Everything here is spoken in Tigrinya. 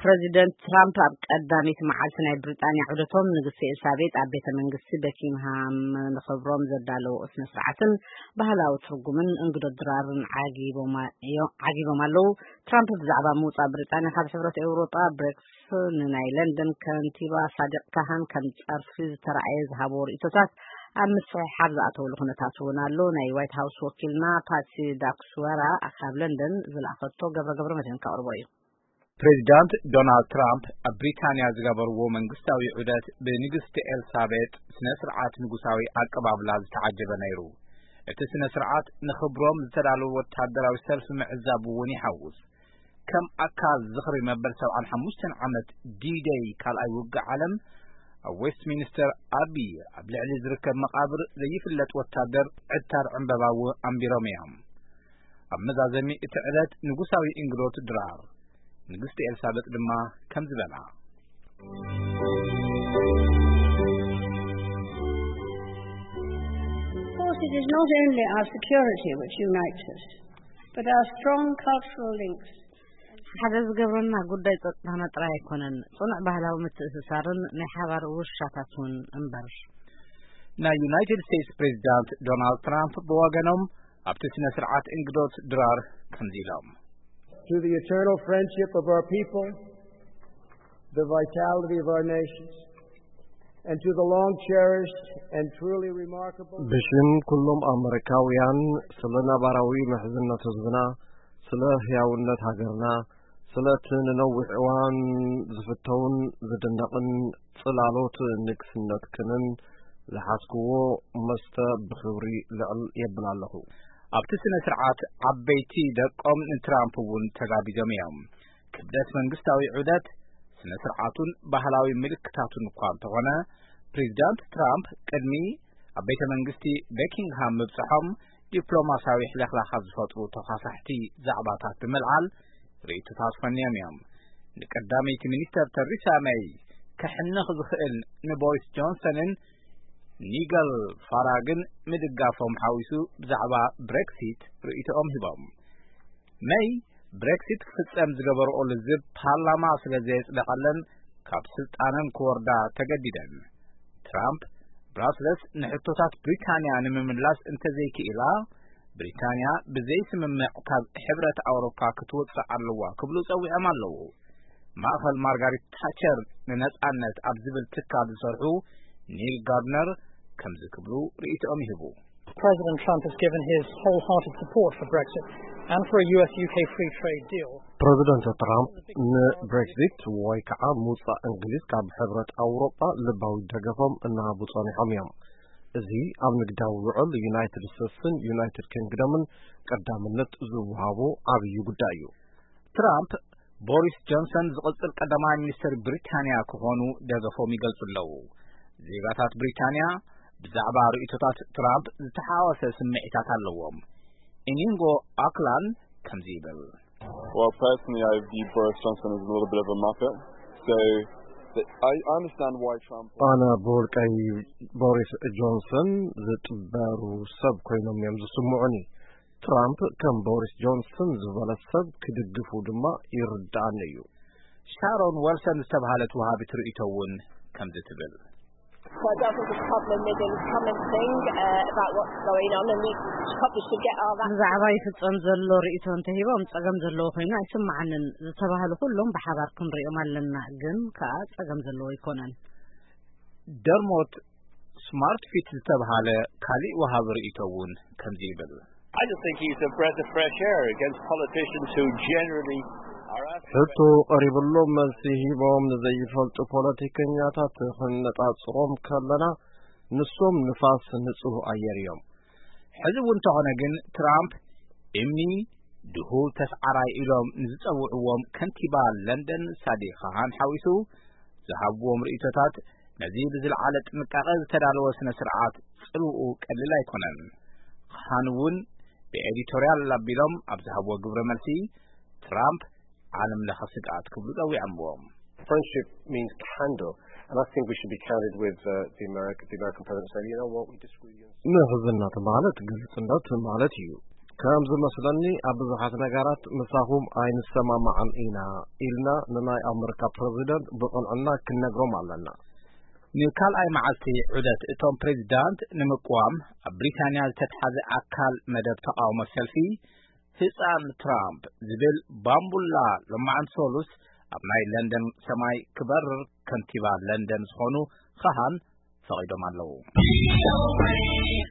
ፕረዚደንት ትራምፕ ኣብ ቀዳሚት መዓልቲ ናይ ብሪጣንያ ዑደቶም ንግስቲ ኤልሳቤጥ ኣብ ቤተ መንግስቲ በኪንግሃም ንኽብሮም ዘዳለዎ ስነ ስርዓትን ባህላዊ ትርጉምን እንግዶ ድራርን ዓጊቦም ኣለዉ። ትራምፕ ብዛዕባ ምውፃእ ብሪጣንያ ካብ ሕብረት ኤውሮጳ ብሬክስ ንናይ ለንደን ከንቲባ ሳዲቅ ካሃን ከም ጸርፊ ዝተራእየ ዝሃብዎ ርእይቶታት ኣብ ምስሕሓብ ዝኣተውሉ ኩነታት እውን ኣሎ። ናይ ዋይት ሃውስ ወኪልና ፓትሲ ዳክስወራ ካብ ለንደን ዝለኣኸቶ ገብረ ገብረ መድህን ከቕርቦ እዩ። ፕሬዚዳንት ዶናልድ ትራምፕ ኣብ ብሪታንያ ዝገበርዎ መንግስታዊ ዑደት ብንግስቲ ኤልሳቤጥ ስነ ስርዓት ንጉሳዊ ኣቀባብላ ዝተዓጀበ ነይሩ። እቲ ስነ ስርዓት ንኽብሮም ዝተዳለወ ወታደራዊ ሰልፊ ምዕዛብ እውን ይሓውስ። ከም ኣካል ዝኽሪ መበል ሰብዓን ሓሙሽተን ዓመት ዲደይ ካልኣይ ውግእ ዓለም ኣብ ዌስትሚኒስተር ኣቢ ኣብ ልዕሊ ዝርከብ መቓብር ዘይፍለጥ ወታደር ዕታር ዕምበባ እውን ኣንቢሮም እዮም። ኣብ መዛዘሚ እቲ ዕለት ንጉሳዊ እንግዶት ድራር፣ ንግስቲ ኤልሳቤጥ ድማ ከምዚ በላ። Of course, it is not only our security which unites us, but our strong cultural links. ሓደ ዝገብረና ጉዳይ ጸጥታና ጥራይ ኣይኮነን፣ ጽኑዕ ባህላዊ ምትእስሳርን ናይ ሓባር ውርሻታት እውን እምበር። ናይ ዩናይትድ ስቴትስ ፕሬዚዳንት ዶናልድ ትራምፕ ብወገኖም ኣብቲ ስነ ስርዓት እንግዶት ድራር ከምዚ ኢሎም። To the eternal friendship of our people, the vitality of our nations, and to the long cherished and truly remarkable ብሽም ኩሎም ኣመሪካውያን ስለ ነባራዊ ምሕዝነት ህዝብና፣ ስለ ህያውነት ሃገርና፣ ስለ እቲ ንነዊሕ እዋን ዝፍተውን ዝድነቕን ጽላሎት ንግስነትክንን ዝሓዝክዎ መስተ ብኽብሪ ልዕል የብል ኣለኹ። ኣብቲ ስነ ስርዓት ዓበይቲ ደቆም ንትራምፕ እውን ተጋቢዞም እዮም። ክብደት መንግስታዊ ዑደት ስነ ስርዓቱን ባህላዊ ምልክታቱን እኳ እንተኾነ፣ ፕሬዚዳንት ትራምፕ ቅድሚ ኣብ ቤተ መንግስቲ በኪንግሃም ምብጽሖም ዲፕሎማሲያዊ ሕልኽላኻት ዝፈጥሩ ተዃሳሕቲ ዛዕባታት ብምልዓል ርእይቶታት ፈንዮም እዮም። ንቀዳመይቲ ሚኒስተር ተሪሳ መይ ከሕንኽ ዝኽእል ንቦሪስ ጆንሰንን ኒገል ፋራግን ምድጋፎም ሓዊሱ ብዛዕባ ብሬክሲት ርእይቶኦም ሂቦም። መይ ብሬክሲት ክፍጸም ዝገበርኦ ልዝብ ፓርላማ ስለ ዘየጽደቐለን ካብ ስልጣነን ክወርዳ ተገዲደን። ትራምፕ ብራስለስ ንሕቶታት ብሪታንያ ንምምላስ እንተዘይክኢላ፣ ብሪታንያ ብዘይ ስምምዕ ካብ ሕብረት ኣውሮፓ ክትወጽእ ኣለዋ ክብሉ ጸዊዖም ኣለዉ። ማእኸል ማርጋሪት ታቸር ንነጻነት ኣብ ዝብል ትካል ዝሰርሑ ኒል ጋርድነር ከምዚ ክብሉ ርእይቶኦም ይህቡ። President Trump has given his wholehearted support for Brexit and for a U S U K free trade deal. ፕረዚደንት ትራምፕ ንብሬክዚት ወይ ከዓ ምውፃእ እንግሊዝ ካብ ሕብረት ኣውሮጳ ልባዊ ደገፎም እናሃቡ ፀኒሖም እዮም። እዚ ኣብ ንግዳዊ ውዕል ዩናይትድ ስቴትስን ዩናይትድ ኪንግደምን ቀዳምነት ዝወሃቦ ዓብዩ ጉዳይ እዩ። ትራምፕ ቦሪስ ጆንሰን ዝቕጽል ቀዳማይ ሚኒስትር ብሪታንያ ክኾኑ ደገፎም ይገልጹ ኣለዉ። ዜጋታት ብሪታንያ ብዛዕባ ርእይቶታት ትራምፕ ዝተሓዋወሰ ስምዒታት ኣለዎም። ኢኒንጎ ኣክላን ከምዚ ይብል። Well, personally, I view Boris Johnson as a little bit of a muppet. So the, I understand why Trump. ኣነ ብውልቀይ ቦሪስ ጆንሰን ዝጥበሩ ሰብ ኮይኖም እዮም ዝስምዑኒ። ትራምፕ ከም ቦሪስ ጆንሰን ዝበለ ሰብ ክድግፉ ድማ ይርድኣኒ እዩ። ሻሮን ወልሰን ዝተባህለት ወሃቢት ርእይቶ እውን ከምዚ ትብል። So I don't think it's a problem with him coming thing uh, about what's going on, and we probably should get our act. ብዛዕባ ይፍጸም ዘሎ ርእይቶ እንተሂቦም ጸገም ዘለዎ ኮይኑ ኣይስምዓንን። ዝተባህሉ ኩሎም ብሓባር ክንሪኦም ኣለና፣ ግን ከኣ ጸገም ዘለዎ ኣይኮነን። ደርሞት ስማርት ፊት ዝተባህለ ካሊእ ወሃቢ ርእይቶ እውን ከምዚ ይብል። I just think he's a breath of fresh air against politicians who generally are as ሕቶ ቀሪብሎም መልሲ ሂቦም ንዘይፈልጡ ፖለቲከኛታት ክነጻጽሮም ከለና ንሶም ንፋስ ንጹህ ኣየር እዮም። ሕዚ እውን እንተኾነ ግን ትራምፕ እምኒ ድሁል ተስዓራይ ኢሎም ንዝጸውዕዎም ከንቲባ ለንደን ሳዲቅ ካሃን ሓዊሱ ዝሃብዎም ርእይቶታት ነዚ ብዝለዓለ ጥንቃቐ ዝተዳለወ ስነ ስርዓት ጽልውኡ ቀሊል ኣይኮነን። ካሃን እውን ብኤዲቶርያል ኣቢሎም ኣብ ዝሃብዎ ግብረ መልሲ ትራምፕ ዓለም ለኸ ስግኣት ክብሉ ጸዊዖምዎም። Friendship means candor, and I think we should be candid with uh, the, America, the American president and say, you know what, we disagree with you. ምሕዝነት ማለት ግልጽነት ማለት እዩ። ከም ዝመስለኒ ኣብ ብዙሓት ነገራት ምሳኹም ኣይንሰማማዕን ኢና ኢልና ንናይ ኣመሪካ ፕረዚደንት ብቕንዕና ክንነግሮም ኣለና። ንካልኣይ መዓልቲ ዑደት እቶም ፕሬዚዳንት ንምቅዋም ኣብ ብሪታንያ ዝተትሓዘ ኣካል መደብ ተቓውሞ ሰልፊ ህፃን ትራምፕ ዝብል ባምቡላ ሎማዓንቲ ሰሉስ ኣብ ናይ ለንደን ሰማይ ክበርር ከንቲባ ለንደን ዝኾኑ ካሃን ፈቒዶም ኣለዉ።